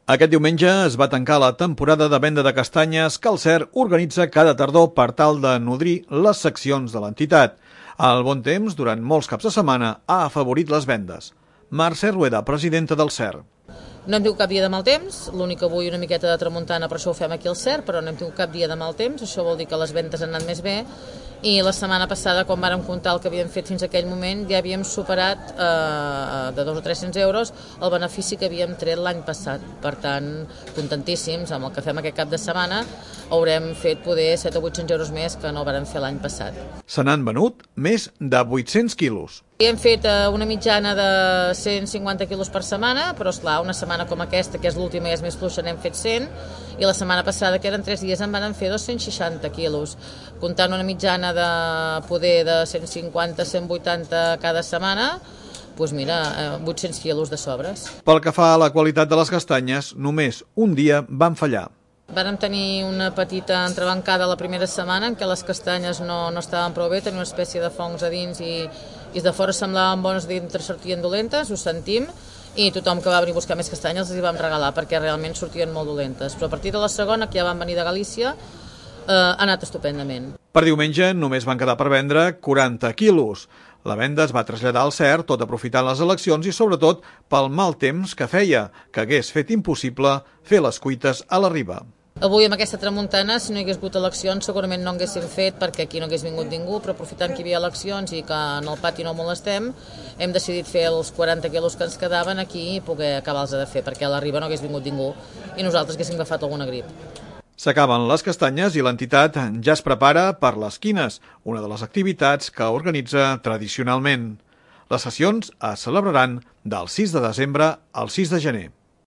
Aquest diumenge es va tancar la temporada de venda de castanyes que el CER organitza cada tardor per tal de nodrir les seccions de l'entitat. El bon temps, durant molts caps de setmana, ha afavorit les vendes. Mercè Rueda, presidenta del CER. No hem tingut cap dia de mal temps, l'únic que avui una miqueta de tramuntana, per això ho fem aquí al CER, però no hem tingut cap dia de mal temps, això vol dir que les vendes han anat més bé, i la setmana passada, quan vàrem comptar el que havíem fet fins a aquell moment, ja havíem superat de 200 o 300 euros el benefici que havíem tret l'any passat. Per tant, contentíssims amb el que fem aquest cap de setmana, haurem fet poder 7 o 800 euros més que no vàrem fer l'any passat. Se n'han venut més de 800 quilos. Hem fet una mitjana de 150 quilos per setmana, però esclar, una setmana com aquesta, que és l'última i és més fluixa, n'hem fet 100, i la setmana passada, que eren 3 dies, en van fer 260 quilos. Comptant una mitjana de poder de 150-180 cada setmana, doncs mira, 800 quilos de sobres. Pel que fa a la qualitat de les castanyes, només un dia van fallar. Vàrem tenir una petita entrebancada la primera setmana en què les castanyes no estaven prou bé, tenien una espècie de fongs a dins i de fora semblaven bones, dintre sortien dolentes, ho sentim, i tothom que va venir a buscar més castanyes els hi vam regalar perquè realment sortien molt dolentes. Però a partir de la segona, que ja van venir de Galícia, ha anat estupendament. Per diumenge només van quedar per vendre 40 quilos. La venda es va traslladar al CER, tot aprofitant les eleccions i sobretot pel mal temps que feia, que hagués fet impossible fer les cuites a la riba. Avui amb aquesta tramuntana, si no hi hagués hagut eleccions, segurament no haguéssim fet perquè aquí no hagués vingut ningú, però aprofitant que hi havia eleccions i que en el pati no molestem, hem decidit fer els 40 quilos que ens quedaven aquí i poder acabar-los de fer, perquè a la riba no hagués vingut ningú i nosaltres haguéssim agafat alguna grip. S'acaben les castanyes i l'entitat ja es prepara per les quines, una de les activitats que organitza tradicionalment. Les sessions es celebraran del 6 de desembre al 6 de gener.